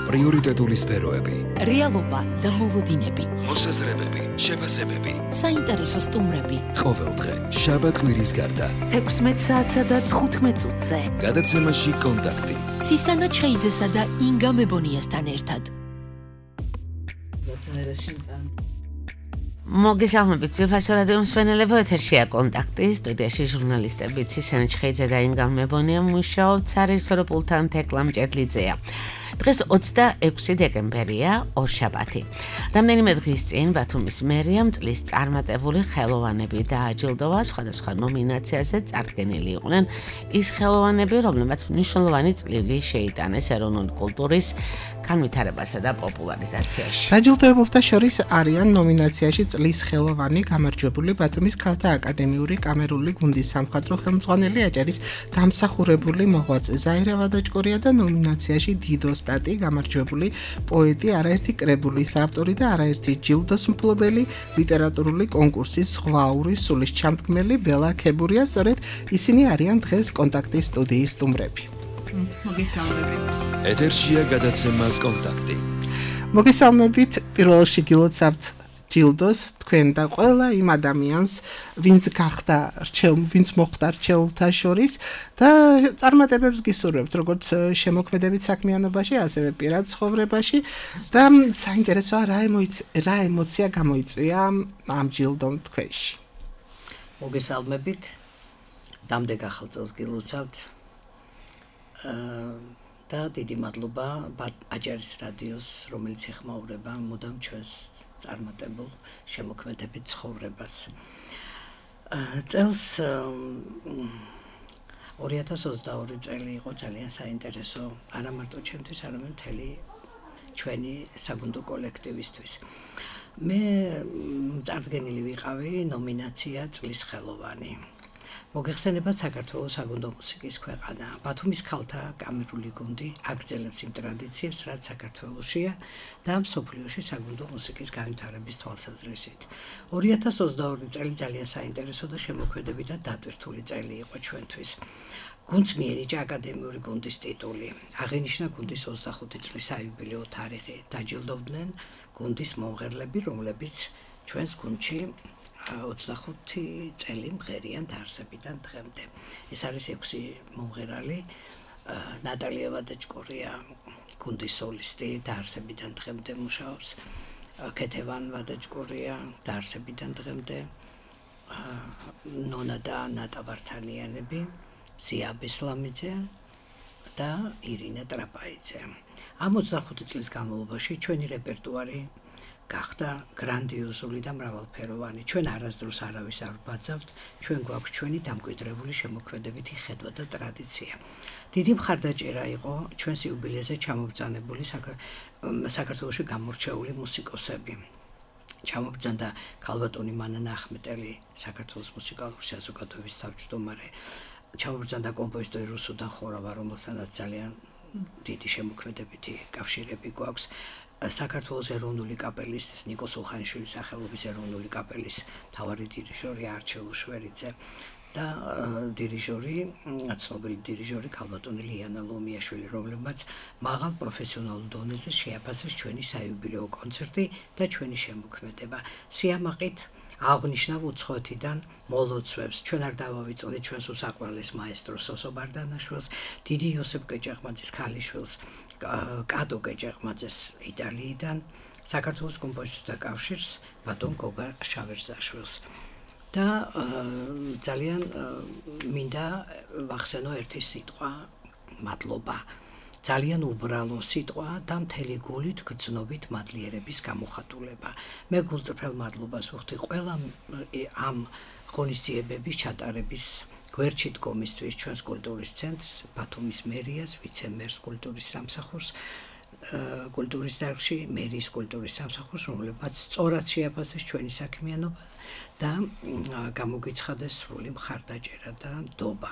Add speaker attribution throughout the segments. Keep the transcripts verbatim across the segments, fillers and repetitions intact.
Speaker 1: პრიორიტეტული სფეროები,
Speaker 2: რეალობა და მოლოდინები,
Speaker 1: მოსაზრებები, შეფასებები,
Speaker 2: საინტერესო სტუმრები.
Speaker 1: ყოველდღე შაბათ-კვირის გარდა
Speaker 2: თექვსმეტ საათსა და თხუთმეტ წუთზე.
Speaker 1: გადაცემაში კონტაქტი.
Speaker 2: ცისანა ჩხეიძესა და ინგა მებონიასთან ერთად.
Speaker 3: მოგესალმებით, ძვირფასო რადიო მსმენელებო, ეთერშია კონტაქტი, სტუდიაში ჟურნალისტები ცისანა ჩხეიძე და ინგა მებონია მუშაობთ, სარისოროპულთან თეკლა მჭედლიძეა. დღეს ოცდაექვსი დეკემბერია, ორშაბათი. რამდენიმე დღის წინ ბათუმის მერიამ წლის წარმატებული ხელოვანები დააჯილდოვა, სხვადასხვა ნომინაციაზე წარდგენილი იყვნენ ის ხელოვანები, რომლებმაც მნიშვნელოვანი წვლილი შეიტანეს ეროვნული კულტურის განვითარებასა და პოპულარიზაციაში.
Speaker 4: დაჯილდოებულთა შორის არიან ნომინაციაში წლის ხელოვანი გამარჯვებული ბათუმის ქალთა აკადემიური კამერული გუნდის სამხატვრო ხელმძღვანელი აჭარის დამსახურებული მოღვაწე ზაირა ვადაჭკორია და ნომინაციაში დიდო სტატი გამარჯვებული პოეტი, არაერთი კრებულის ავტორი და არაერთი ჯილდოს მფლობელი, ლიტერატურული კონკურსის ზღვაური სულის ჩამდგმელი ბელა ქებურია. სწორედ ისინი არიან დღეს კონტაქტის სტუდიის სტუმრები.
Speaker 5: მოგესალმებით.
Speaker 1: ეთერშია გადაცემა კონტაქტი.
Speaker 4: მოგესალმებით, პირველ რიგში გილოცავთ ჯილდოს თქვენ და ყველა იმ ადამიანს, ვინც გახდა რჩეულ, ვინც მოხდა რჩეულთა შორის და წარმატებებს გისურვებთ, როგორც შემოქმედებით საქმიანობაში, ასევე პირად ცხოვრებაში და საინტერესოა რა ემოცია, რა ემოცია გამოიწვია ამ ჯილდომ თქვენში.
Speaker 5: მოგესალმებით. დამდეგ ახალ წელს გილოცავთ. და დიდი მადლობა აჭარის რადიოს, რომელიც ეხმაურება მუდამ ჩვენს წარმატებულ შემოქმედებით ცხოვრებას. წელს ორი ათას ოცდაორი წელი იყო ძალიან საინტერესო, არა მარტო ჩემთვის, არამედ მთელი ჩვენი საგუნდო კოლექტივისთვის. მე წარდგენილი ვიყავი ნომინაცია წლის ხელოვანი. მოგეხსენებათ საქართველოს საგუნდო მუსიკის ქვეყანა. ბათუმის ქალთა კამერული გუნდი აგრძელებს იმ ტრადიციებს, რაც საქართველოშია და მსოფლიოში საგუნდო მუსიკის განვითარების თვალსაზრისით. ორი ათას ოცდაორი წელი ძალიან საინტერესო და შემოქმედებით და დატვირთული წელი იყო ჩვენთვის. გუნდს მიენიჭა აკადემიური გუნდის ტიტული. აღინიშნა გუნდის ოცდახუთი წლის საიუბილეო თარიღი. დაჯილდოვდნენ გუნდის მომღერლები, რომლებიც ჩვენს გუნდში ოცდახუთი წელი მღერიან დაარსებიდან დღემდე. ეს არის ექვსი მომღერალი, ნატალია ვადაჭკორია, გუნდის სოლისტი, დაარსებიდან დღემდე მუშაობს, ქეთევან ვადაჭკორია, დაარსებიდან დღემდე, ნონა და ნატა ვართანიანები, ზია ბესლამიძე და ირინა ტრაპაიძე. ამ ოცდახუთი წლის განმავლობაში ჩვენი რეპერტუარი გახდა გრანდიოზული და მრავალფეროვანი. ჩვენ არასდროს არავის არ ვბაძავთ, ჩვენ გვაქვს ჩვენი დამკვიდრებული შემოქმედებითი ხედვა და ტრადიცია. დიდი მხარდაჭერა იყო ჩვენს იუბილეზე ჩამობრძანებული საქართველოში გამორჩეული მუსიკოსები. ჩამობრძანდა ქალბატონი მანანა ახმეტელი, საქართველოს მუსიკალური საზოგადოების თავმჯდომარე, ჩამობრძანდა კომპოზიტორი რუსუდან ხორავა, რომელთანაც ძალიან დიდი შემოქმედებითი კავშირები გვაქვს. საქართველოს ეროვნული კაპელის ნიკო სულხანიშვილის სახელობის ეროვნული კაპელის მთავარი დირიჟორი არჩილ შვერიძე და დირიჟორი, ცნობილი დირიჟორი ქალბატონი ლიანა ლომიაშვილი, რომლებმაც მაღალ პროფესიონალურ დონეზე შეაფასეს ჩვენი საიუბილეო კონცერტი და ჩვენი შემოქმედება. სიამაყით აღნიშნავ უცხოეთიდან მოლოცვებს. ჩვენ არ დავავიწყდით ჩვენს უსაყვარლეს მაესტროს სოსო ბარდანაშვილს, დიდი იოსებ კეჭაყმაძის ქალიშვილს, კატო კეჭაყმაძეს იტალიიდან, საქართველოს კომპოზიტორთა კავშირს, ბატონ გოგა შავერზაშვილს. და ძალიან მინდა ვახსენო ერთი სიტყვა, მადლობა. ძალიან უბრალო სიტყვა და მთელი გულით გრძნობით მადლიერების გამოხატულება. მე გულწრფელ მადლობას ვუხდი ყველა ამ ღონისძიებების ჩატარების გვერდში დგომისთვის ჩვენს კულტურის ცენტრს, ბათუმის მერიას, ვიცე-მერს კულტურის სამსახურს, კულტურის დარგში მერიის კულტურის სამსახურს, რომლებმაც სწორად შეაფასეს ჩვენი საქმიანობა და გამოგიცხადეს სრული მხარდაჭერა და ნდობა.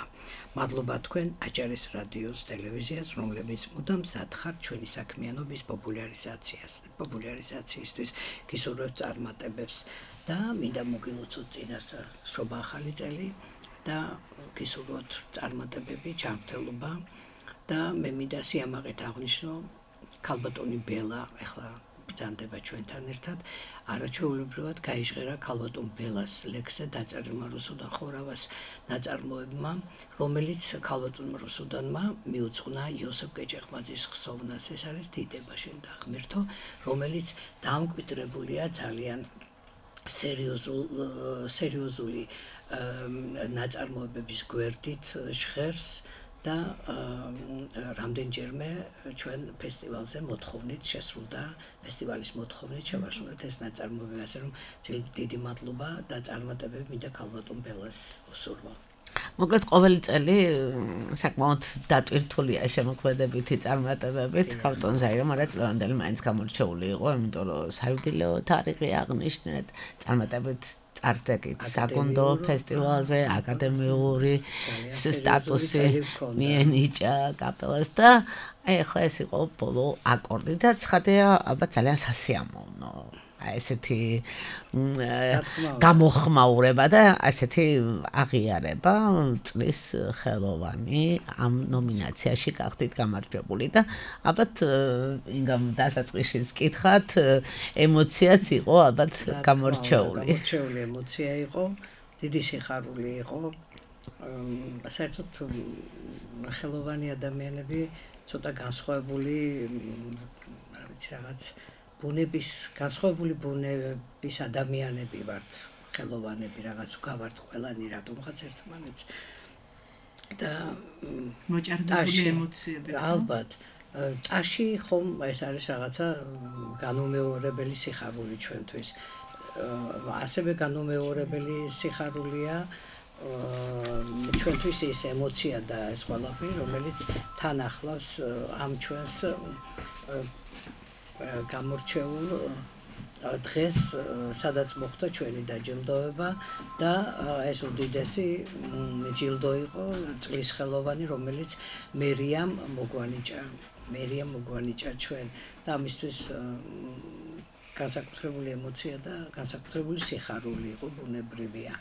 Speaker 5: მადლობა თქვენ აჭარის რადიოს, ტელევიზიას, რომლებიც მუდამ სათხართ ჩვენი საქმიანობის პოპულარიზაციას, პოპულარიზაციისთვის, გისურვებთ წარმატებებს და მინდა მოგილოცოთ წინასწარ შობა ახალი წელი და გისურვოთ წარმატებები, ჩამრთელობა და მე მინდა სიამაყით აღნიშნო ქალბატონი ბელა ახლა ბრძანდება ჩვენთან ერთად არაჩვეულებრივად გაიჟღერა ქალბატონ ბელას ლექსზე დაწერილმა რუსუდან ხორავას ნაწარმოებმა, რომელიც ქალბატონ რუსუდანმა მიუძღვნა იოსებ გეჭეხმაძის ხსოვნას. ეს არის დიდება შენ და ღმერთო, რომელიც დამკვიდრებულია ძალიან სერიოზულ სერიოზული ნაწარმოებების გვერდით ჟღერს და რამდენჯერმე ჩვენ ფესტივალზე მოთხოვნით შესრულდა ფესტივალის მოთხოვნით შევასრულეთ ეს ნაწარმოებები, ასე რომ დიდი მადლობა და წარმატებები მინდა ქალბატონ ბელას უსურვო.
Speaker 3: მოკლედ ყოველი წელი საკმაოდ დატვირთულია შემოქმედებითი წარმატებებით ქალბატონ ზაირა მარაწლევანდელი მაინც გამორჩეული იყო, იმიტომ რომ საიუბილეო თარიღი აღნიშნეთ, წარმატებით წარსდგით საკონდო ფესტივალზე აკადემიური სტატუსი მიენიჭა კაპელას და აი ახლა ეს იყო ბოლო აკორდი და ცხადია ალბათ ძალიან სასიამოვნო აი ესეთი გამოხმაურება და ასეთი აღიარება წლის ხელოვანი ამ ნომინაციაში გახდით გამარჯვებული და ალბათ ინგამ დასაწყისშიც კითხათ ემოციაც იყო ალბათ გამორჩეული
Speaker 5: გამორჩეული ემოცია იყო დიდი სიხარული იყო საერთოდ ხელოვანი ადამიანები ცოტა განსხვავებული რა ვიცი რაღაც ბუნების განსხვავებული ბუნების ადამიანები ვართ ხელოვანები რაღაც გავართ ყველანი რატომღაც ერთმანეთს და
Speaker 6: მოჭარბებული ემოციები
Speaker 5: ალბათ ტაში ხომ ეს არის რაღაცა განუმეორებელი სიხარული ჩვენთვის ასევე განუმეორებელი სიხარულია ჩვენთვის ეს ემოცია და ეს ყველაფერი რომელიც თან ახლავს ამ ჩვენს გამორჩეულ დღეს სადაც მოხდა ჩვენი დაჯილდოება და ეს უდიდესი ჯილდო იყო წლის ხელოვანი რომელიც მერიამ მოგვანიჭა მერიამ მოგვანიჭა ჩვენ და ამისთვის განსაკუთრებული ემოცია და განსაკუთრებული სიხარული იყო ბუნებრივია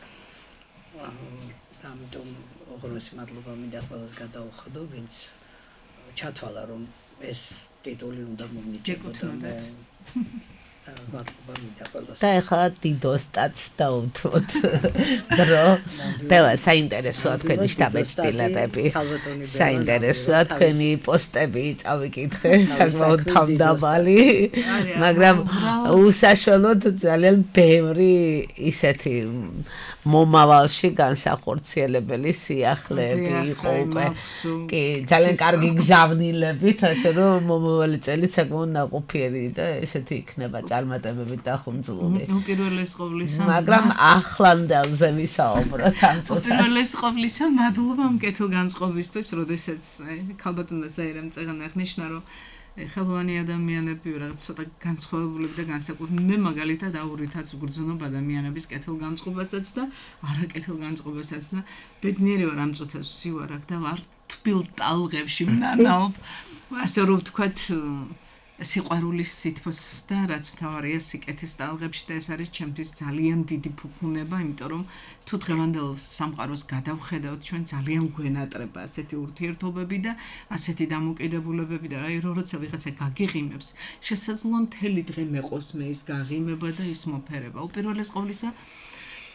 Speaker 5: ამიტომ უღრმესი მადლობა მინდა ყველას გადაუხადო ვინც ჩათვალა რომ ეს ტიტული უნდა მომნიჭებოდა და მადლობა მინდა ყველას
Speaker 3: და ახლა დიდოსტაც დაუთმოთ დრო ბელა საინტერესოა თქვენი შტაბეჭდილებები საინტერესოა თქვენი პოსტები წავიკითხე საკმაოდ თავდაბალი მაგრამ უსაშველოდ ძალიან ბევრი ისეთი მომავალში განსახორციელებელი სიახლეები იყო უკვე კი ძალიან კარგი გზავნილებით ასე რომ მომავალი წელი საკმაოდ ნაყოფიერი და ესეთი იქნება წარმატებებით დახუნძლული
Speaker 6: უპირველეს ყოვლისა
Speaker 3: მაგრამ ახლანდელზე ვისაუბროთ ამ წუთას
Speaker 6: უპირველეს ყოვლისა მადლობა ამ კეთილგანწყობისთვის როდესაც ქალბატონმა ზაირამ წეგან აღნიშნა რომ ხელოვანი ადამიანები რაღაც ცოტა განსხვავებული და განსაკუთრებული მე მაგალითად აურითაც ვგრძნობ ადამიანების კეთილგანწყობასაც და არაკეთილგანწყობასაც და ბედნიერი ვარ ამ წუთას ვსივარ აქ და ვარ თბილ ტალღებში ვნანაობ ასე რომ ვთქვათ სიყვარულის სითბოს და რაც მთავარია სიკეთის ტალღებში და ეს არის ჩემთვის ძალიან დიდი ფუფუნება იმიტომ რომ თუ დღევანდელ სამყაროს გადავხედავთ ჩვენ ძალიან გვენატრება ასეთი ურთიერთობები და ასეთი დამოკიდებულებები და აი როცა ვიღაცა გაგიღიმებს შესაძლოა მთელი დღე მეყოს მე ის გაღიმება და ის მოფერება უპირველეს ყოვლისა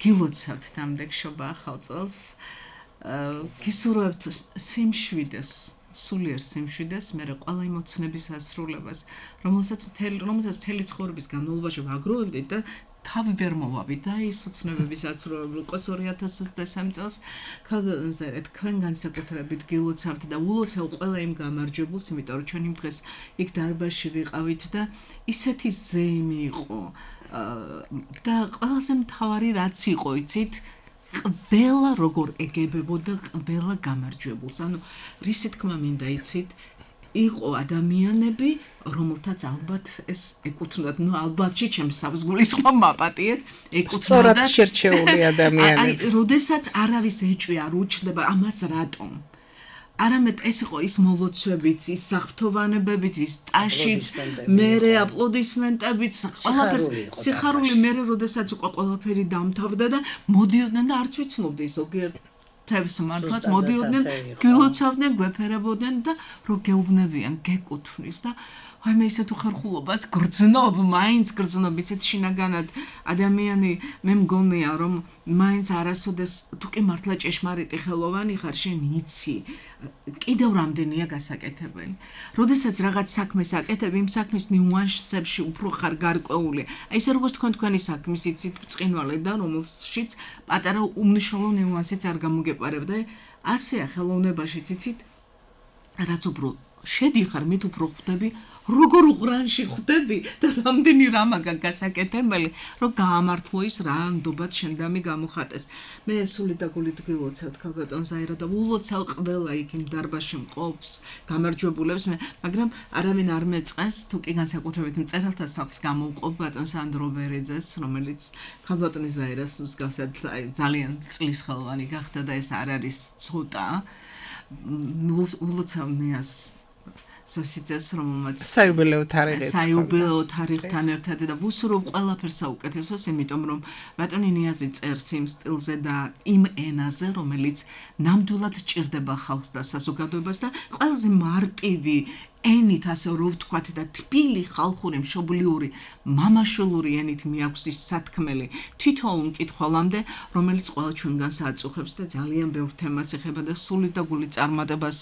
Speaker 6: გილოცავთ დამდეგშობა ახალ წელს გისურვებთ სიმშვიდეს სულიერ სიმშვიდეს, მე ყველა იმოცნების ასრულებას, რომელსაც მთელი რომელსაც მთელი ცხოვრების განმავლობაში ვაგროვებდით და თავი ვერ მოვავით და ის ოცნებების ასრულება იყოს ორი ათას ოცდასამი წელს ქალბატონზე თქვენ განსაკუთრებით გილოცავთ და ულოცავ ყველა იმ გამარჯვებულს, იმიტომ რომ ჩვენ იმ დღეს იქ დარბაზში ვიყავით და ისეთი ზეიმი იყო და ყველაზე მთავარი რაც იყო, იცით ყველა როგორ ეგებებოდა ყველა გამარჯვებულს. ანუ რისი თქმა მინდა იცით, იყო ადამიანები, რომელთაც ალბათ ეს ეკუთვნოდათ, ну ალბათში ჩემს საფსგულის ხომ მაპატიეთ,
Speaker 4: ეკუთვნოდათ სწორად შერჩეული ადამიანები.
Speaker 6: აი, როდესაც არავის ეჭვი არ უჩნდება ამას რატომ? არამედ ეს იყო ის მოლოცვებიც, ის საფრთოვანებებიც, ის ტაშიც, მერე აპლოდისმენტებიც, ყველაფერს სიხარული მერე როდესაც უკვე ყველაფერი დამთავრდა და მოდიოდნენ და არც ვიცნობდი ზოგიერთ ხვთებს მართლაც მოდიოდნენ, გილოცავდნენ, გვეფერებოდნენ და რო გეუბნებიან, გეკუთვნის და აი მე ისეთ უხერხულობას გრძნობ, მაინც გრძნობ, იცით შინაგანად ადამიანი მე მგონია რომ მაინც არასოდეს თუ კი მართლა ჭეშმარიტი ხელოვანი ხარ, შენ იცი კიდევ რამდენია გასაკეთებელი. როდესაც რაღაც საქმეს აკეთებ, იმ საქმის ნიუანსებში უფრო ხარ გარკვეული. აი ესე როგორც თქვენ თქვენი საქმის იცით ბრწყინვალე და რომელშიც პატარა უმნიშვნელო ნიუანსიც არ გამოგეპარებთ. აი ასეა ხელოვნებაშიც იცით რაც უფრო შედიხარ, მით უფრო ხვდები, როგორ უღრანში ხვდები და რამდენი რამაგა გასაკეთებელი, რომ გაამართლო ის რა ნდობად შენდამი გამოხატეს. მე სული და გულით გილოცავ ქალბატონ ზაირა და ულოცავ ყველა იქ იმ დარბაზში მყოფს, გამარჯვებულებს მე, მაგრამ არავინ არ მეწყენს, თუ კი განსაკუთრებით მწერალთა სახლს გამოვყოფ ბატონ სანდრო ბერიძეს, რომელიც ქალბატონი ზაირას მსგავსად ძალიან წლის ხელოვანი გახდა და ეს არ არის ცოტა. ულოცავ ნიას სოსიცეს რომელმაც
Speaker 4: საიუბილეო თარიღი
Speaker 6: საიუბილეო თარიღთან ერთად და ვუსურვებ ყველაფერს საუკეთესოს, იმიტომ რომ ბატონი ნიაზი წერს იმ სტილზე და იმ ენაზე, რომელიც ნამდვილად ჭირდება ხალხს და საზოგადოებას და ყველაზე მარტივი ენით ასე რო ვთქვათ და თბილი ხალხური მშობლიური მამაშვილური ენით მიაქვს ის სათქმელი თითოეულ მკითხველამდე, რომელიც ყველა ჩვენგანს აწუხებს და ძალიან ბევრ თემას ეხება და სულით და გულით წარმატებას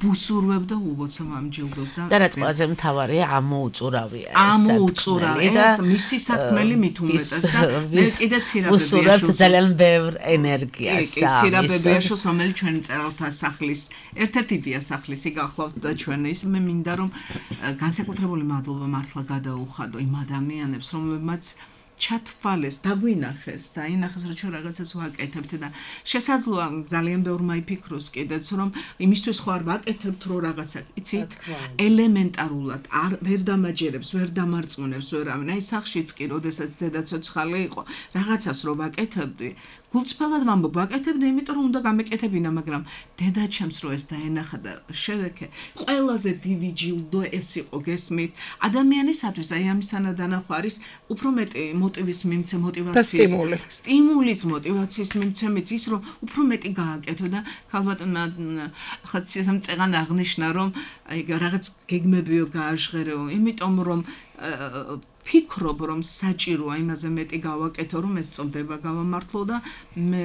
Speaker 6: ვუსურვებ და ულოცავ ამ ჯილდოს და
Speaker 3: და რაც ყველაზე მთავარია ამოუწურავია ეს
Speaker 6: ამოუწურავია ეს მისი სათქმელი მით უმეტეს და მე კიდე ცირაბებია
Speaker 3: ვუსურვებთ ძალიან ბევრ ენერგიას
Speaker 6: ცირაბებიაშოს რომელიც ჩვენი მწერალთა სახლის ერთ-ერთი დია სახლის იგახლავთ და ჩვენ ის მე მინდა რომ განსაკუთრებული მადლობა მართლა გადაუხადო იმ ადამიანებს, რომლებმაც ჩათვალეს, დაგვინახეს და ინახეს რომ ჩვენ რაღაცას ვაკეთებთ და შესაძლოა ძალიან ბევრმა იფიქროს კიდეც რომ იმისთვის ხო არ ვაკეთებთ რომ რაღაცა იცით ელემენტარულად არ ვერ დამაჯერებს, ვერ დამარწმუნებს ვერავინ. აი სახშიც კი როდესაც დედა ცოცხალი იყო, რაღაცას რომ ვაკეთებდი, გულწრფელად ვამბობ, ვაკეთებდი, იმიტომ რომ უნდა გამეკეთებინა, მაგრამ დედა ჩემს რო ეს დაენახა და შევექე. ყველაზე დიდი ჯილდო ეს იყო, გესმით? ადამიანისათვის აი ამისთანა დანახვა არის უფრო მეტი მოტივის მიმცე, მოტივაციის, სტიმულის მოტივაციის მიმცემით ის რომ უფრო მეტი გააკეთო და ქალბატონმა ხაც ისე მწეღან აღნიშნა რომ აი რაღაც გეგმებიო გააჟღერეო, იმიტომ რომ ფიქრობ რომ საჭიროა იმაზე მეტი გავაკეთო რომ ეს წოდება გავამართლო და მე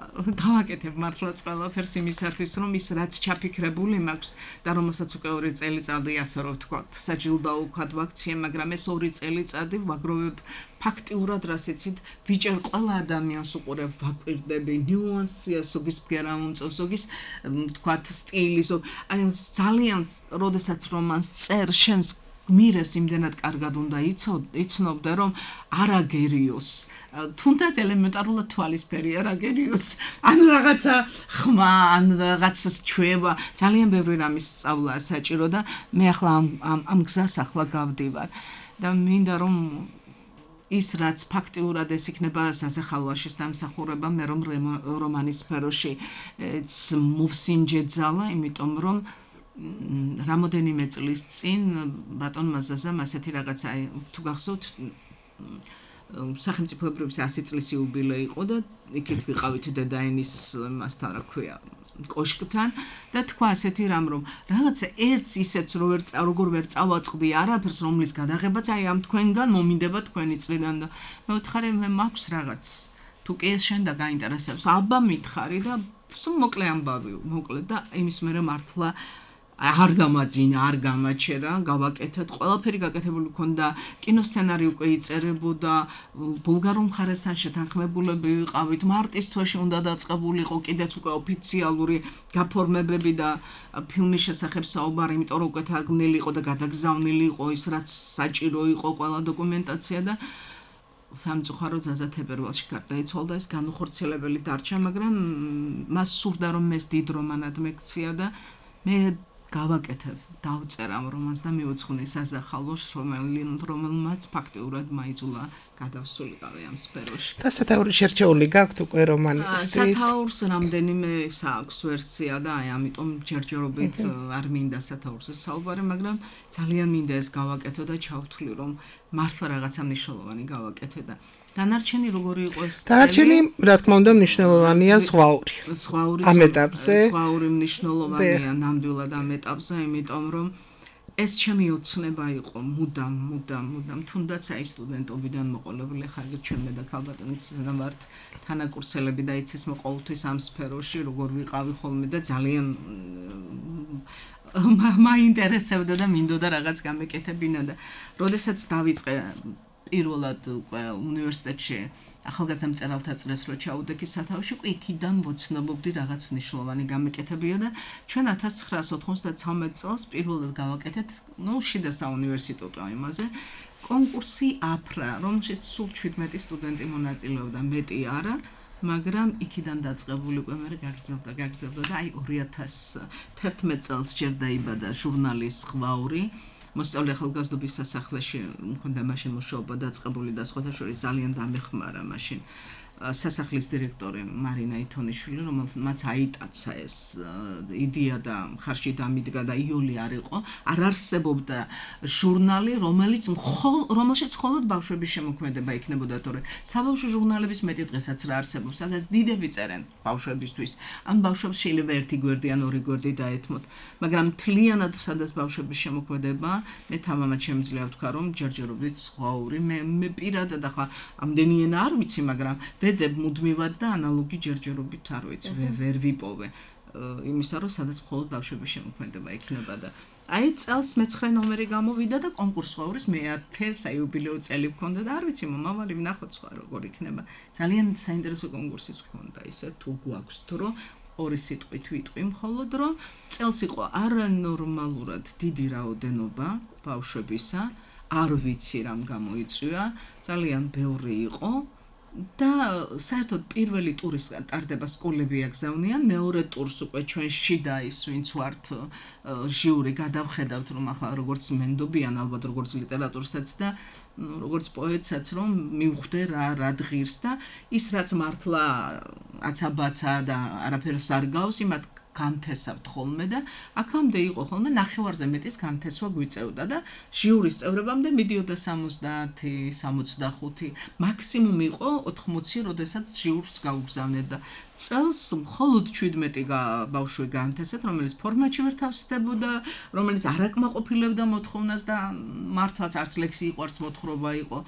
Speaker 6: გავაკეთებ მართლაც ყველაფერს იმისათვის რომ ის რაც ჩაფიქრებული მაქვს და რომელსაც უკვე ორი წელიწადი ასე რომ ვთქვათ საჯილდაო ვქად ვაქცია, მაგრამ ეს ორი წელიწადი ვაგროვებ ფაქტიურად რასიცით ვიჭერ ყველა ადამიანს უყურებ, ვაკვირდები ნიუანსია, ზოგის ბგერა უმწო, ზოგის ვთქვათ სტილი, აი ძალიან როდესაც რომანს წერ შენს მირებს იმდენად კარგად უნდა იცნობდე რომ არ აგერიოს, თუნდაც ელემენტარულად თვალისფერი არ აგერიოს, ან რაღაცა ხმა, ან რაღაცა ჩვევა, ძალიან ბევრი რამის სწავლაა საჭირო და მე ახლა ამ ამ გზას ახლა გავდივარ და მინდა რომ ის რაც ფაქტიურად ეს იქნება საზახალვაშის დამსახურება, მე რომ რომანის სფეროში მოვსინჯე ძალა, იმიტომ რომ რამოდენიმე წლის წინ ბატონმა ზაზამ ასეთი რაღაცა თუ გახსოვთ სახელმწიფოებრიობის ასი წლის იუბილე იყო და იქით ვიყავით დედაენის მასთან რა ქვია კოშკთან და თქვა ასეთი რამ რომ რაღაცა ერთს ისეც რო ვერ როგორ ვერ წავაწყდი არაფერს რომლის გადაღებაც აი ამ თქვენგან მომინდება თქვენი წლიდან და მე ვთხარი მე მაქვს რაღაც თუ კი ეს შენ და გაინტერესებს აბა მითხარი და სულ მოკლე ამბავი მოკლე და იმის მერე მართლა არ დამაძინა, არ გამაჩერა, გავაკეთეთ, ყველაფერი გაკეთებული ქონდა, კინოსცენარი უკვე იწერებოდა, ბულგარულ მხარესთან შეთანხმებულები ვიყავით, მარტის თვეში უნდა დაწყებულიყო კიდეც უკვე ოფიციალური გაფორმებები და ფილმის შესახებ საუბარი, იმიტომ რომ უკვე თარგმნილი იყო და გადაგზავნილი იყო ის რაც საჭირო იყო ყველა დოკუმენტაცია და სამწუხაროდ ზაზა თებერვალში გარდაიცვალა და ეს განუხორციელებელი დარჩა, მაგრამ მას სურდა რომ ეს დიდ რომანად მექცია და მე გავაკეთებ, დავწერ ამ რომანს და მივუძღვნე საზახალოს, რომელმაც ფაქტიურად მაიძულა გადავსულიყავი ამ სფეროში.
Speaker 4: და სათაური შერჩეული გაქვთ უკვე რომანის?
Speaker 6: სათაურს რამდენიმე აქვს ვერსია და აი ამიტომ ჯერჯერობით არ მინდა სათაურზე საუბარი, მაგრამ ძალიან მინდა ეს გავაკეთო და ჩავთვლი რომ მართლა რაღაცა მნიშვნელოვანი გავაკეთე და დანარჩენი როგორი იყო ეს წელი?
Speaker 4: დანარჩენი, რა თქმა უნდა, მნიშვნელოვანია ზღვაური.
Speaker 6: ზღვაური
Speaker 4: ამ ეტაპზე
Speaker 6: ზღვაური მნიშვნელოვანია ნამდვილად ამ ეტაპზე, იმიტომ რომ ეს ჩემი ოცნება იყო მუდამ, მუდამ, მუდამ, თუნდაც აი სტუდენტობიდან მოყოლებული ხარგით ჩვენ მე და ქალბატონიც ვართ თანაკურსელები და იცის მე ყოველთვის ამ სფეროში როგორ ვიყავი ხოლმე და ძალიან მაინტერესებდა და მინდოდა რაღაც გამეკეთებინა და როდესაც დავიწყე პირველად უკვე უნივერსიტეტში ახალგაზრდა მწერალთა წრეს რო ჩაუდექი სათავეში, უკვე იქიდან ვოცნობობდი რაღაც მნიშვნელოვანი გამეკეთებია და ჩვენ ათას ცხრაას ოთხმოცდათვრამეტ წელს პირველად გავაკეთეთ, ნუ შიდა საუნივერსიტეტო იმაზე, კონკურსი აფრა, რომელშიც სულ შვიდმეტი სტუდენტი მონაწილეობდა, მეტი არა, მაგრამ იქიდან დაწყებული უკვე მე გაგრძელდა, გაგრძელდა და აი ორი ათას თერთმეტ წელს ჯერ დაიბადა ჟურნალის ზღვაური. მოსწავლე ახალგაზრდობის სასახლეში მქონდა მაშინ მუშაობა დაწყებული და სხვათა შორის ძალიან დამეხმარა მაშინ სასახლის დირექტორი მარინა ითონიშვილი, რომელმაც აიტაცა ეს იდეა და ხარში დამიდგა და იოლი არ იყო, არ არსებობდა ჟურნალი, რომელიც რომელშიც მხოლოდ ბავშვების შემოქმედება იქნებოდა, თორე საბავშვო ჟურნალების მეტი დღესაც რა არსებობს, სადაც დიდები წერენ ბავშვებისთვის. ან ბავშვებს შეიძლება ერთი გვერდი ან ორი გვერდი დაეთმოთ, მაგრამ მთლიანად სადაც ბავშვების შემოქმედება, მე თამამად შემიძლია ვთქვა, რომ ჯერჯერობით ზღვაური, მე მე პირადად ახლა ამდენი ენა არ ვიცი, მაგრამ ვეძებ მუდმივად და ანალოგი ჯერჯერობით არ ვიცი, ვერ ვიპოვე იმისა, რომ სადაც მხოლოდ ბავშვების შემოქმედება იქნება და აი წელს მეცხრე ნომერი გამოვიდა და კონკურს ზღვაურის მეათე საიუბილეო წელი მქონდა და არ ვიცი, მომავალი ვნახოთ სხვა როგორ იქნება. ძალიან საინტერესო კონკურსიც მქონდა, ისე თუ გვაქვს დრო ორი სიტყვით ვიტყვი, მხოლოდ რომ წელს იყო არანორმალურად დიდი რაოდენობა ბავშვებისა, არ ვიცი რამ გამოიწვია, ძალიან ბევრი იყო. და საერთოდ პირველი ტურის ტარდება სკოლები აგზავნიან, მეორე ტურს უკვე ჩვენ შიდა ის ვინც ვართ ჟიური გადავხედავთ, რომ ახლა როგორც მენდობიან ალბათ როგორც ლიტერატურსაც და როგორც პოეტსაც რომ მივხვდე რა რა ღირს და ის რაც მართლა აცაბაცა და არაფერს არ გავს, იმათ განთესავთ ხოლმე და აქამდე იყო ხოლმე ნახევარზე მეტის განთესვა გვიწევდა და ჟიურის წევრებამდე მიდიოდა სამოცდაათი, სამოცდახუთი, მაქსიმუმ იყო ოთხმოცი, როდესაც ჟიურს გაუგზავნეთ და წელს მხოლოდ შვიდმეტი ბავშვი განთესეთ, რომელიც ფორმატში ვერ თავსდებოდა, რომელიც არ აკმაყოფილებდა მოთხოვნას და მართლაც არც ლექსი იყო, არც მოთხრობა იყო,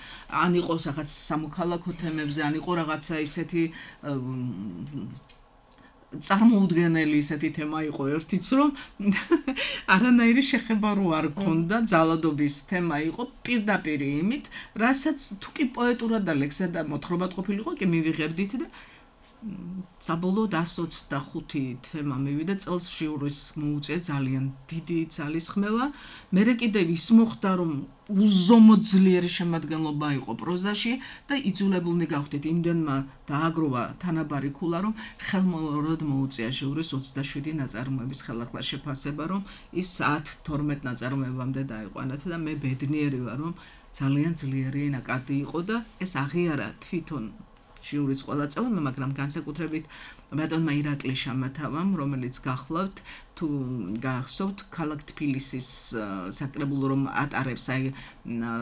Speaker 6: ან იყო რაღაც სამოქალაქო თემებზე, ან იყო რაღაცა ისეთი წარმოუდგენელი ისეთი თემა იყო ერთიც, რომ არანაირი შეხება რო არ ქონდა, ძალადობის თემა იყო პირდაპირ იმით, რასაც თუ კი პოეტურად და ლექსად და მოთხრობად ყოფილიყო, კი მივიღებდით და საბოლოოდ ასი ოცდახუთი თემა მივიდა წელს ჟიურის მოუწია ძალიან დიდი ძალისხმევა. მერე კიდევ ის მოხდა, რომ უზომოდ ძლიერი შემადგენლობა იყო პროზაში და იძულებულნი გავხდით იმდენმა დააგროვა თანაბარი ქულა, რომ ხელმოუწიოდ მოუწია ჟიურის ოცდაშვიდი ნაწარმოების ხელახლა შეფასება, რომ ის ათ თორმეტ ნაწარმოებამდე დაიყვანათ და მე ბედნიერი ვარ, რომ ძალიან ძლიერი ნაკადი იყო და ეს აღიარა თვითონ ჟიურის ყველა წევრმა, მაგრამ განსაკუთრებით ბატონმა ირაკლი შამათავამ, რომელიც გახლავთ, თუ გახსოვთ, ქალაქ თბილისის საკრებულო რომ ატარებს აი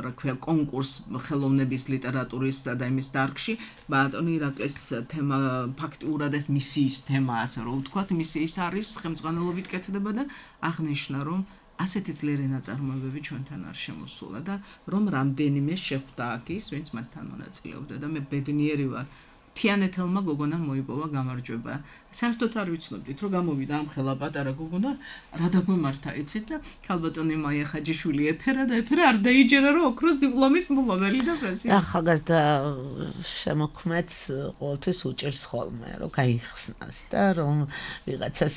Speaker 6: რა ქვია კონკურს ხელოვნების ლიტერატურისა და იმის დარგში, ბატონ ირაკლის თემა ფაქტიურად ეს მისიის თემაა, ასე რომ ვთქვათ, მისიის არის ხელმძღვანელობით კეთდება და აღნიშნა, რომ ასეთი ძლიერი ნაწარმოებები ჩვენთან არ შემოსულა და რომ რამდენიმე შეხვდა აქ ის, ვინც მათთან მონაწილეობდა და მე ბედნიერი ვარ. თიანეთელმა გოგონამ მოიპოვა გამარჯვება. საერთოდ არ ვიცნობდით, რომ გამოვიდა ამ ხელა პატარა გოგონა, რა დაგვემართა იცით და ქალბატონი მაია ხაჯიშვილი ეფერა და ეფერა არ დაიჯერა, რომ ოქროს დიპლომის მომავალი და პრესის.
Speaker 3: ახალგაზრდა შემოქმედს ყოველთვის უჭირს ხოლმე, რომ გაიხსნას და რომ ვიღაცას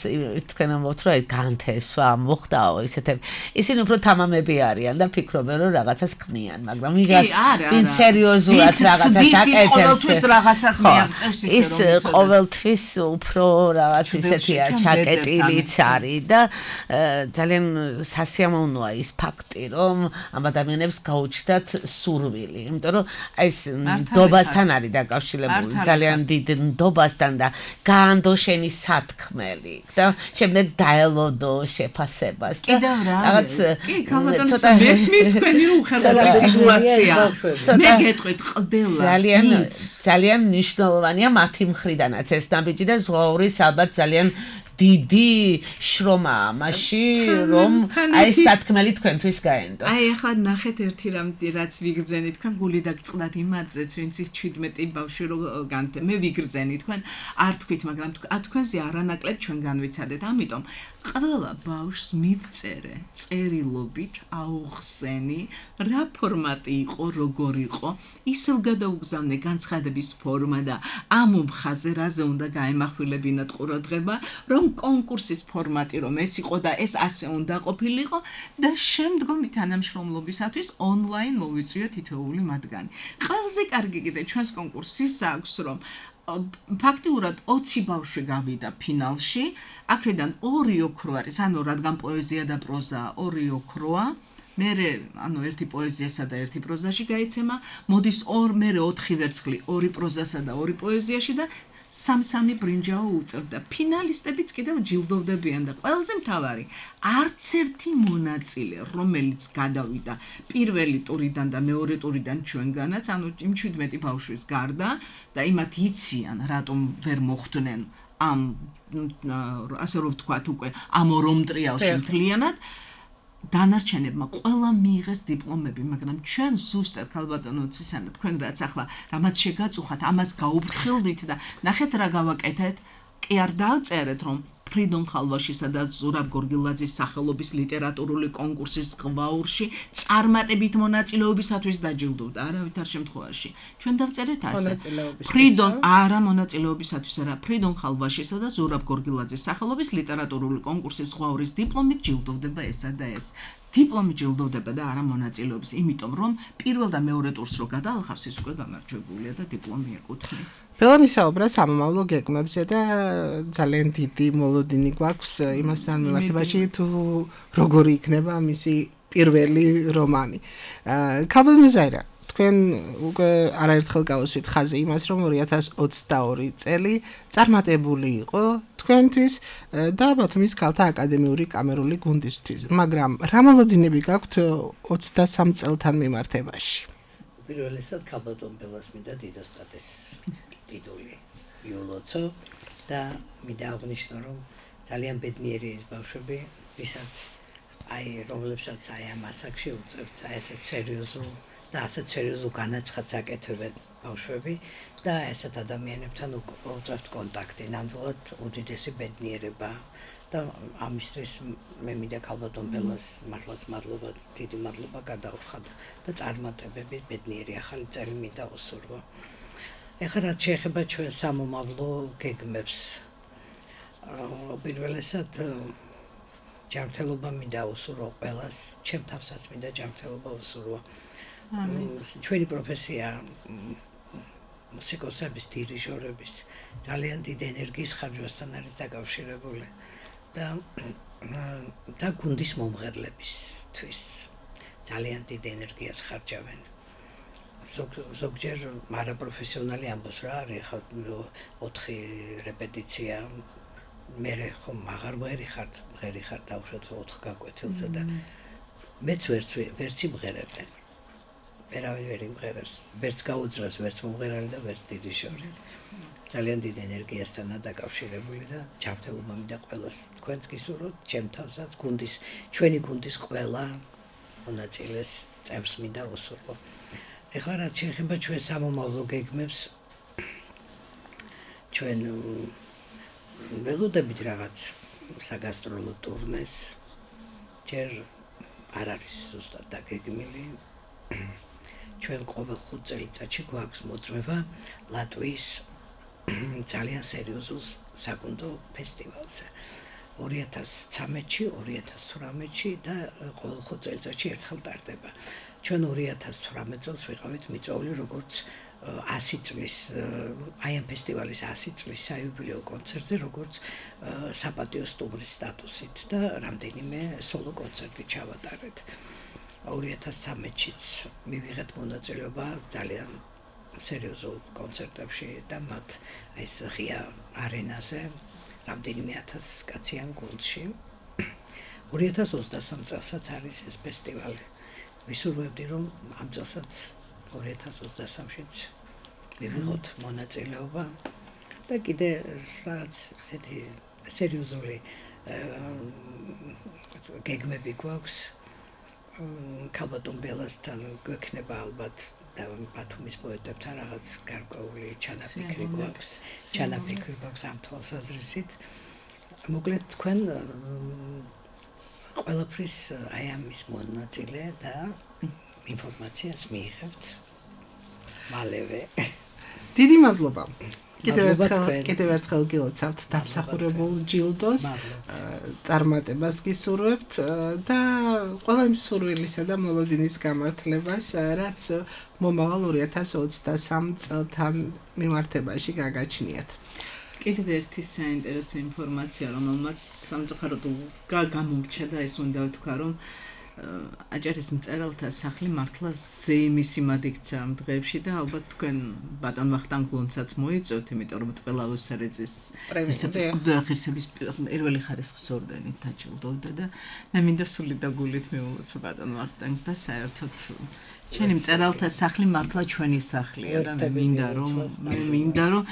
Speaker 3: თქვენ ამბობთ, რომ განთესვა მოხდაო ისეთები. ისინი უფრო თამამები არიან და ფიქრობენ, რომ რაღაცას ქმნიან, მაგრამ ვიღაც ვინ სერიოზულად რაღაცას აკეთებს.
Speaker 6: რაღაცას მიაღწევს ისე
Speaker 3: ის ყოველთვის უფრო რაღაც ისეთია ჩაკეტილიც არის და ძალიან სასიამოვნოა ის ფაქტი, რომ ამ ადამიანებს გაუჩნდათ სურვილი, იმიტომ რომ ეს ნდობასთან არის დაკავშირებული, ძალიან დიდ ნდობასთან და გაანდო შენი სათქმელი და შემდეგ დაელოდო შეფასებას და
Speaker 6: რაღაც კი ქალბატონო მესმის თქვენი უხელავი სიტუაცია მე გეტყვით ყველა
Speaker 3: ძალიან ძალიან მნიშვნელოვანია მათი მხრიდანაც ეს ნაბიჯი და ზღვაურის ალბათ ძალიან დიდი შრომა ამაში რომ აი სათქმელი თქვენთვის გაენდო.
Speaker 6: აი ახლა ნახეთ ერთი რამ რაც ვიგრძენით თქვენ გული დაგწყდათ იმათზეც ვინც ის ჩვიდმეტი ბავშვი რო განთე მე ვიგრძენი თქვენ არ თქვით მაგრამ თქვენზე არანაკლებ ჩვენ განვიცადეთ ამიტომ ყველა ბავშვს მივწერე წერილობით აუხსენი რა ფორმატი იყო როგორ იყო ისევ გადაუგზავნე განცხადების ფორმა და ამ მხაზე რაზე უნდა გაემახვილებინათ ყურადღება რომ კონკურსის ფორმატი რომ ეს იყო და ეს ასე უნდა ყოფილიყო და შემდგომი თანამშრომლობისათვის ონლაინ მოვიწვიოთ თითოეული მათგანი. ყველაზე კარგი კიდე ჩვენს კონკურსის აქვს რომ ფაქტიურად ოცი ბავშვი გავიდა ფინალში, აქედან ორი ოქრო არის, ანუ რადგან პოეზია და პროზა ორი ოქროა. მერე ანუ ერთი პოეზიასა და ერთი პროზაში გაიცემა, მოდის ორ მერე ოთხი ვერცხლი, ორი პროზასა და ორი პოეზიაში და სამ-სამი ბრინჯაო უწევდა. ფინალისტებიც კიდევ ჯილდოვდებიან და ყველაზე მთავარი, არც ერთი მონაწილე, რომელიც გადავიდა პირველი ტურიდან და მეორე ტურიდან ჩვენგანაც, ანუ იმ ჩვიდმეტი ბავშვის გარდა და იმათ იციან, რატომ ვერ მოხვდნენ ამ ასე რომ ვთქვათ უკვე ამ ორომტრიალში მთლიანად დანარჩენებმა ყველა მიიღეს დიპლომები, მაგრამ ჩვენ ზუსტად ქალბატონო ცისანა თქვენ რაც ახლა რამაც შეგაწუხათ, ამას გაუფრთხილდით და ნახეთ რა გავაკეთეთ, კი არ დააწერეთ რომ ფრიდონ ხალვაშისა და ზურაბ გორგილაძის სახელობის ლიტერატურული კონკურსის ღვაურში წარმატებით მონაწილეობისათვის დაჯილდოვდა არავითარ შემთხვევაში. ჩვენ დავწერეთ ასე. ფრიდონ არა მონაწილეობისათვის არა, ფრიდონ ხალვაშისა და ზურაბ გორგილაძის სახელობის ლიტერატურული კონკურსის ღვაურის დიპლომით ჯილდოვდება ესა და ეს. დიპლომი ჯილდოვდება და არა მონაწილეობის, იმიტომ რომ პირველ და მეორე ტურს რო გადაალხავს ის უკვე გამარჯვებულია და დიპლომი ეკუთვნის.
Speaker 4: ბელამი საუბრა სამომავლო გეგმებზე და ძალიან დიდი მოლოდინი გვაქვს იმასთან მიმართებაში თუ როგორი იქნება მისი პირველი რომანი. ქალბატონო ზაირა, თქვენ უკვე არაერთხელ გავუსვით ხაზი იმას, რომ ორი ათას ოცდაორი წელი წარმატებული იყო თქვენთვის და ბათუმის ქალთა აკადემიური კამერული გუნდისთვის, მაგრამ რა მოლოდინები გაქვთ ოცდასამ წელთან მიმართებაში?
Speaker 5: პირველესად ქალბატონ ბელას მინდა დიდოსტატეს ტიტული მიულოცო და მინდა აღნიშნო, რომ ძალიან ბედნიერი ის ბავშვები, ვისაც აი რომლებსაც აი ამ ასაკში უწევთ, აი ესეთ სერიოზულ და ასეთ სერიოზულ განაცხადს აკეთებენ ბავშვები და ესეთ ადამიანებთან უწევთ კონტაქტი, ნამდვილად უდიდესი ბედნიერება და ამისთვის მე მინდა ქალბატონ ბელას მართლაც მადლობა, დიდი მადლობა გადავხად და წარმატებები ბედნიერი ახალი წელი მინდა უსურვო. ეხლა რაც შეეხება ჩვენ სამომავლო გეგმებს, პირველესად ჯანმრთელობა მინდა უსურვო ყველას, ჩემ თავსაც მინდა ჯანმრთელობა უსურვო. ჩვენი პროფესია მუსიკოსების, დირიჟორების ძალიან დიდი ენერგიის ხარჯვასთან არის დაკავშირებული და და გუნდის მომღერლებისთვის ძალიან დიდ ენერგიას ხარჯავენ. ზოგჯერ არაპროფესიონალი ამბობს რა არის ხა ოთხი რეპეტიცია მე ხომ აღარ ვერი ხარ ღერი ხარ დავუშვათ ოთხ გაკვეთილზე და მეც ვერც ვერც იმღერებენ ვერავინ ვერ იმღერებს ვერც გაუძრავს ვერც მომღერალი და ვერც დირიჟორი ძალიან დიდ ენერგიასთანაა დაკავშირებული და ჯანმრთელობა მინდა ყველას თქვენს გისურვოთ ჩემ თავსაც გუნდის ჩვენი გუნდის ყველა მონაწილეს წევრს მინდა უსურვო. ეხლა რაც შეეხება ჩვენ სამომავლო გეგმებს ჩვენ ველოდებით რაღაც საგასტროლო ტურნეს ჯერ არ არის ზუსტად დაგეგმილი ჩვენ ყოველ ხუთ წელიწადში გვაქვს მოწვევა ლატვიის ძალიან სერიოზულ საკუნდო ფესტივალზე ორი ათას ცხრამეტში ორი ათას თვრამეტში და ყოველ ხუთ წელიწადში ერთხელ ტარდება. ჩვენ ორი ათას თვრამეტ წელს ვიყავით მიწვეული როგორც ასი წლის აი ამ ფესტივალის ასი წლის საიუბილეო კონცერტზე, როგორც საპატიო სტუმრის სტატუსით და რამდენიმე სოლო კონცერტი ჩავატარეთ. ორი ათას ცხრამეტშიც მივიღეთ მონაწილეობა ძალიან სერიოზულ კონცერტებში და მათ ეს ღია არენაზე რამდენიმე ათას კაციან გუნდში. ორი ათას ოცდასამ წელსაც არის ეს ფესტივალი. ვისურვებდი რომ ამ წელსაც ორი ათას ოცდასამშიც მივიღოთ მონაწილეობა და კიდე რაღაც ესეთი სერიოზული გეგმები გვაქვს. ქალბატონ ბელასთან გვექნება ალბათ და ბათუმის პოეტებთან რაღაც გარკვეული ჩანაფიქრი გვაქვს. ჩანაფიქრი გვაქვს ამ თვალსაზრისით. მოკლედ თქვენ ყველაფრის აი ამის მონაწილე და ინფორმაციას მიიღებთ მალევე.
Speaker 4: დიდი მადლობა. კიდევ ერთხელ კიდევ ერთხელ გილოცავთ დამსახურებულ ჯილდოს წარმატებას გისურვებთ და ყველა იმ სურვილისა და მოლოდინის გამართლებას, რაც მომავალ ორი ათას ოცდასამ წელთან მიმართებაში გაგაჩნიათ.
Speaker 6: კიდევ ერთი საინტერესო ინფორმაცია, რომელმაც სამწუხაროდ გამომრჩა და ეს უნდა ვთქვა, რომ აჭარის მწერალთა სახლი მართლა ზეიმის იმად იქცა ამ დღეებში და ალბათ თქვენ ბატონ ვახტანგ გლუნცაც მოიწვევთ, იმიტომ რომ ტყელავოს სარეძის ღირსების პირველი ხარისხის ორდენით დაჯილდოვდა და მე მინდა სული და გულით მივულოცო ბატონ ვახტანგს და საერთოდ ჩვენი მწერალთა სახლი მართლა ჩვენი სახლია და მე მინდა რომ მე მინდა რომ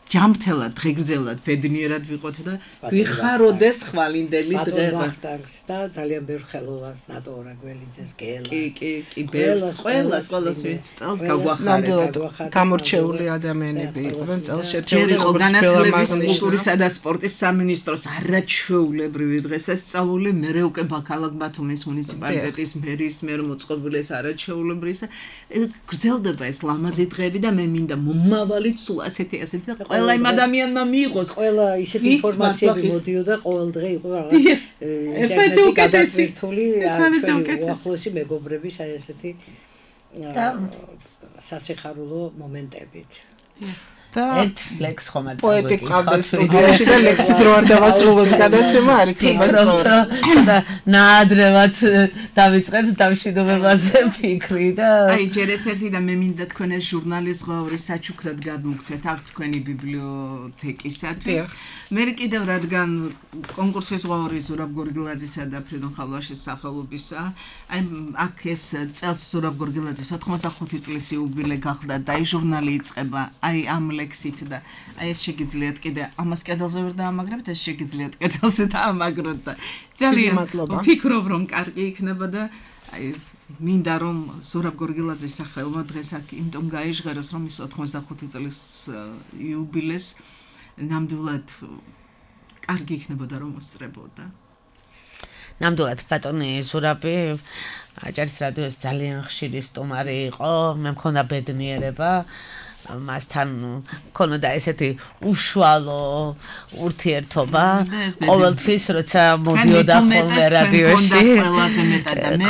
Speaker 6: ჯამრთელად, დღეგრძელად, ბედნიერად ვიყოთ და ვიხაროდეს ხვალინდელი დღე.
Speaker 5: ბატონ ვახტანგს და ძალიან ბევრ ხელოვანს, ნატო ორაგველიძეს, გელას.
Speaker 6: კი, კი, კი, ბევრს, ყველას, ყველას ვინც წელს გაგვახარეს.
Speaker 4: გამორჩეული ადამიანები იყვნენ წელს შერჩეული
Speaker 6: იყო განათლების, კულტურისა და სპორტის სამინისტროს არაჩვეულებრივი დღესასწაული, მერე უკვე ბაქალაკ ბათუმის მუნიციპალიტეტის მერის მიერ მოწყობილი ეს არაჩვეულებრივი. გრძელდება ეს ლამაზი დღეები და მე მინდა მომავალით სულ ასეთი ასეთი და ყველა იმ ადამიანმა მიიღოს
Speaker 5: ყველა ისეთი ინფორმაციები მოდიოდა ყოველ დღე იყო რაღაც
Speaker 6: ერთმანეთზე უკეთესი
Speaker 5: უახლოესი მეგობრების აი ესეთი სასიხარულო მომენტებით
Speaker 3: და ერთ ლექს ხომ არ
Speaker 4: პოეტი ყავდა სტუდიაში და ლექსი დრო არ დავასრულოთ გადაცემა არ იქნება სწორი
Speaker 3: და ნაადრევად დავიწყეთ დამშვიდობებაზე ფიქრი და
Speaker 6: აი ჯერ ეს ერთი და მე მინდა თქვენ ეს ჟურნალის ღაური საჩუქრად გადმოგცეთ აქ თქვენი ბიბლიოთეკისათვის მე კიდევ რადგან კონკურსის ღაური ზურაბ გორგილაძისა და ფრიდონ ხალვაშის სახელობისა აი აქ ეს წელს ზურაბ გორგილაძის ოთხმოცდახუთი წლის იუბილე გახდა და აი ჟურნალი იწყება აი ამ ლექსით და აი ეს შეგიძლიათ კიდე ამას კედელზე ვერ დაამაგრებთ ეს შეგიძლიათ კედელზე დაამაგროთ და ძალიან ვფიქრობ რომ კარგი იქნება და აი მინდა რომ ზურაბ გორგილაძის სახელმა დღეს აქ იმიტომ გაიჟღეროს რომ ის ოთხმოცდახუთი წლის იუბილეს ნამდვილად კარგი იქნებოდა რომ მოსწრებოდა
Speaker 3: ნამდვილად ბატონი ზურაბი აჭარის რადიოს ძალიან ხშირი სტუმარი იყო მე მქონდა ბედნიერება მასთან მქონოდა ესეთი უშუალო ურთიერთობა ყოველთვის როცა მოდიოდა ხოლმე რადიოში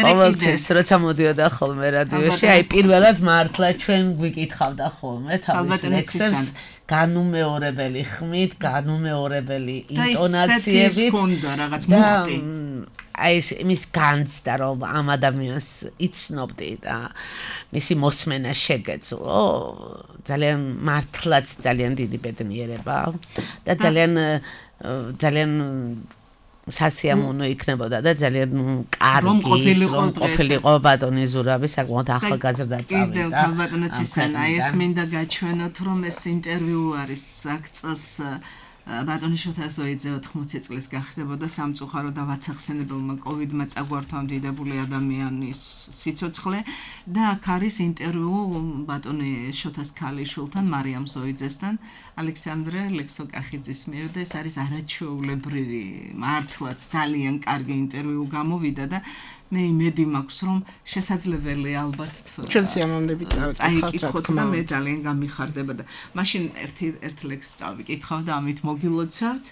Speaker 3: ყოველთვის როცა მოდიოდა ხოლმე რადიოში აი პირველად მართლა ჩვენ გვიკითხავდა ხოლმე თავის ლექსებს განუმეორებელი ხმით განუმეორებელი ინტონაციებით
Speaker 6: და ის რაღაც მუხტი
Speaker 3: აი ეს იმის განცდა რომ ამ ადამიანს იცნობდი და მისი მოსმენა შეგეძლო ძალიან მართლაც ძალიან დიდი ბედნიერება და ძალიან ძალიან სასიამოვნო იქნებოდა და ძალიან კარგი რომ ყოფილიყო ბატონი ზურაბი საკმაოდ ახალგაზრდა წავიდა
Speaker 6: კიდევ ბატონო ცისანა ეს მინდა გაჩვენოთ რომ ეს ინტერვიუ არის აქ წელს ბატონი შოთა ზოიძე ოთხმოცი წლის გახდებოდა სამწუხარო და ვაცახსენებელმა კოვიდმა წაგვართვა დიდებული ადამიანის სიცოცხლე და აქ არის ინტერვიუ ბატონი შოთას ქალიშვილთან მარიამ ზოიძესთან ალექსანდრე ლექსოკახიძის მიერ და ეს არის არაჩვეულებრივი მართლაც ძალიან კარგი ინტერვიუ გამოვიდა და მე იმედი მაქვს რომ შესაძლებელი ალბათ
Speaker 4: ჩვენ სიამოვნებით
Speaker 6: წაიკითხოთ და მე ძალიან გამიხარდება და მაშინ ერთი ერთ ლექსს წავიკითხავ და ამით მოგილოცავთ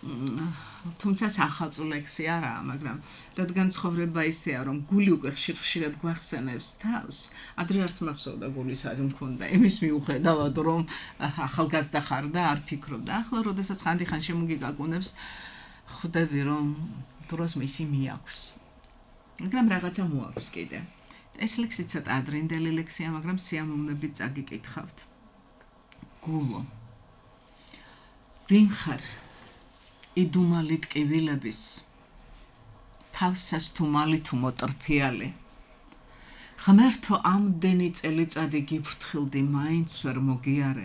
Speaker 6: თუმცა ახალწულ ლექსი არაა, მაგრამ რადგან ცხოვრება ისეა, რომ გული უკვე ხშირ-ხშირად გვახსენებს თავს, ადრე არც მახსოვდა გული საათი მქონდა. იმის მიუხედავად, რომ ახალგაზრდა ხარ და არ ფიქრობ და ახლა, როდესაც ხანდახან შემოგიგაგუნებს, ხვდები, რომ დროს მისი მიაქვს. მაგრამ რაღაცა მოაქვს კიდე. ეს ლექსი ცოტა ადრინდელი ლექსია, მაგრამ სიამოვნებით წაგიკითხავთ. გულო. ვინ ხარ? იდუმალი ტკივილების თავსას თუ მალი თუ მოტრფიალი ღმერთო ამდენი წელიწადი გიფრთხილდი მაინც ვერ მოგიარე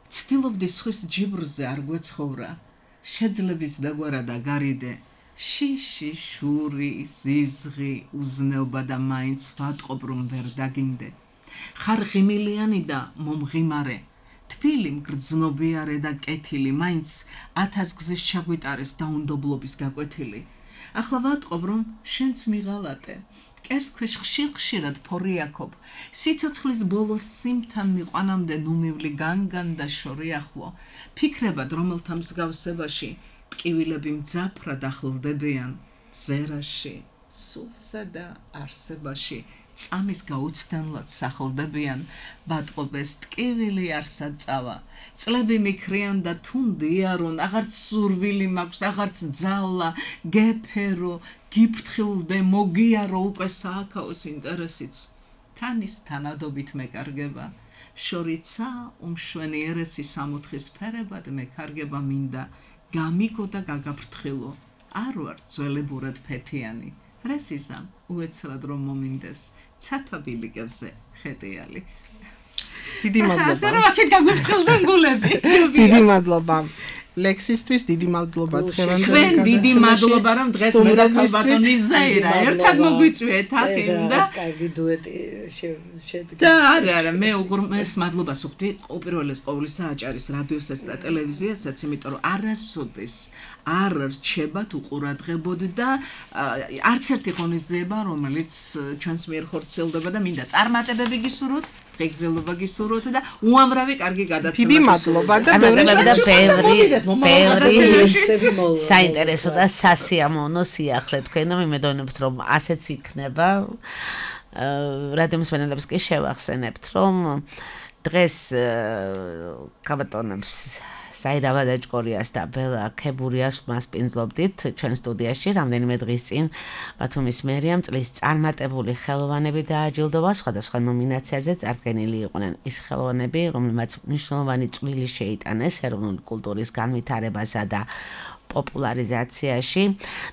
Speaker 6: ვცდილობდი სხვის ჯიბრზე არ გვეცხოვრა შეძლების დაგვარა და გარიდე შიში შური ზიზღი უზნეობა და მაინც ვატყობ რომ ვერ დაგინდე ხარ ღიმილიანი და მომღიმარე თბილი მგრძნობიარე და კეთილი მაინც ათას გზის ჩაგვიტარეს დაუნდობლობის გაკვეთილი ახლა ვატყობ რომ შენც მიღალატე კერტქვეშ ხშირ-ხშირად ფორიაქობ სიცოცხლის ბოლოს სიმთან მიყვანამდე ნუმივლი განგან და შორიახლო ფიქრებად რომელთა მსგავსებაში ტკივილები მძაფრად ახლოვდებიან ზერაში სულსა და არსებაში წამის გაუცდენლად სახლდებიან ბატყობეს ტკივილი არსად წავა წლები მიქრიან და თუნდიარონ აღარც სურვილი მაქვს აღარც ძალა გეფერო გიფრთხილდე მოგიარო უკვე სააქაოს ინტერესიც თანის თანადობით მეკარგება შორიცა უმშვენიერესი სამოთხის ფერებად მეკარგება მინდა გამიგო და გაგაფრთხილო არ ვარ ძველებურად ფეთიანი რესიზამ უეცრად რომ მომინდეს ცათაბილიკებზე ხედიალი
Speaker 4: დიდი მადლობა
Speaker 6: ასე რომ აქეთ გაგვიფრთხილდნენ გულები
Speaker 4: დიდი მადლობა ლექსისთვის დიდი მადლობა
Speaker 6: დღევანდელი ჩვენ დიდი მადლობა რომ დღეს მე და ქალბატონი ზაირა ერთად მოგვიწვიეთ აქ და
Speaker 5: კარგი დუეტი შედგა
Speaker 6: და არა არა მე უგრმეს მადლობას ვუხდი უპირველეს ყოვლისა აჭარის რადიოსაც და ტელევიზიასაც იმიტომ რომ არასოდეს არ რჩებათ უყურადღებოდ და არც ერთი ღონისძიება რომელიც ჩვენს მიერ ხორციელდება და მინდა წარმატებები გისურვოთ ღირსება გისურვოთ და უამრავი კარგი გადაცემა
Speaker 4: დიდი მადლობა და
Speaker 3: ბევრი ბევრი საინტერესო და სასიამოვნო სიახლე თქვენ და მიმედოვნებთ რომ ასეც იქნება რადიო მსმენელებს კი შევახსენებთ რომ დღეს ქალბატონებს საირა ვადაჭკორიას და ბელა ქებურიას მასპინძლობდით ჩვენ სტუდიაში რამდენიმე დღის წინ ბათუმის მერიამ წლის წარმატებული ხელოვანები დააჯილდოვა სხვადასხვა ნომინაციაზე წარდგენილი იყვნენ ის ხელოვანები რომლებმაც მნიშვნელოვანი წვლილი შეიტანეს ეროვნული კულტურის განვითარებასა და პოპულარიზაციაში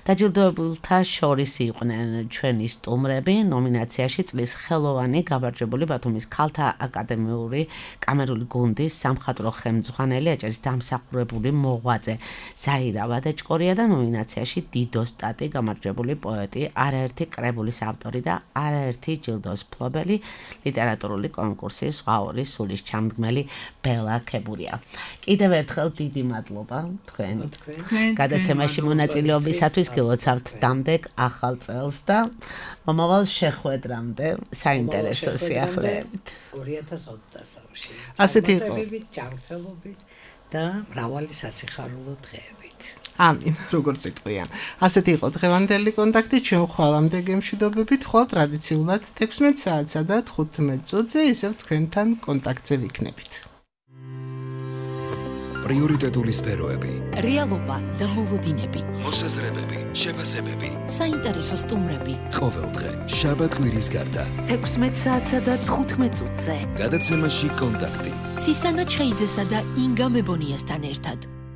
Speaker 3: დაჯილდოებულთა შორის იყვნენ ჩვენი სტუმრები ნომინაციაში წლის ხელოვანი გამარჯვებული ბათუმის ქალთა აკადემიური კამერული გუნდის სამხატვრო ხელმძღვანელი აჭარის დამსახურებული მოღვაწე ზაირა ვადაჭკორია და ნომინაციაში დიდო სტატი გამარჯვებული პოეტი არაერთი კრებულის ავტორი და არაერთი ჯილდოს მფლობელი ლიტერატურული კონკურსის ზღვაური სულის ჩამდგმელი ბელა ქებურია კიდევ ერთხელ დიდი მადლობა თქვენ გადაცემაში მონაწილეობისათვის გილოცავთ დამდეგ ახალ წელს და მომავალ შეხვედრამდე საინტერესო სიახლეებით
Speaker 5: ორი ათას ოცდასამში
Speaker 4: ასეთი იყო
Speaker 5: ჯანმრთელობით და მრავალი სასიხარულო დღეებით
Speaker 4: ამინ როგორც იტყვიან ასეთი იყო დღევანდელი კონტაქტი ჩვენ ხვალამდე გემშვიდობებით ხვალ ტრადიციულად თექვსმეტ საათსა და თხუთმეტ წუთზე ისევ თქვენთან კონტაქტზე ვიქნებით
Speaker 1: პრიორიტეტული სფეროები,
Speaker 2: რეალობა და მოლოდინები,
Speaker 1: მოსაზრებები, შეფასებები,
Speaker 2: საინტერესო სტუმრები.
Speaker 1: ყოველდღე, შაბათ-კვირის გარდა.
Speaker 2: თექვსმეტ საათსა და თხუთმეტ წუთზე.
Speaker 1: გადაცემაში კონტაქტი.
Speaker 2: ცისანა ჩხეიძესა და ინგა მებონიასთან ერთად.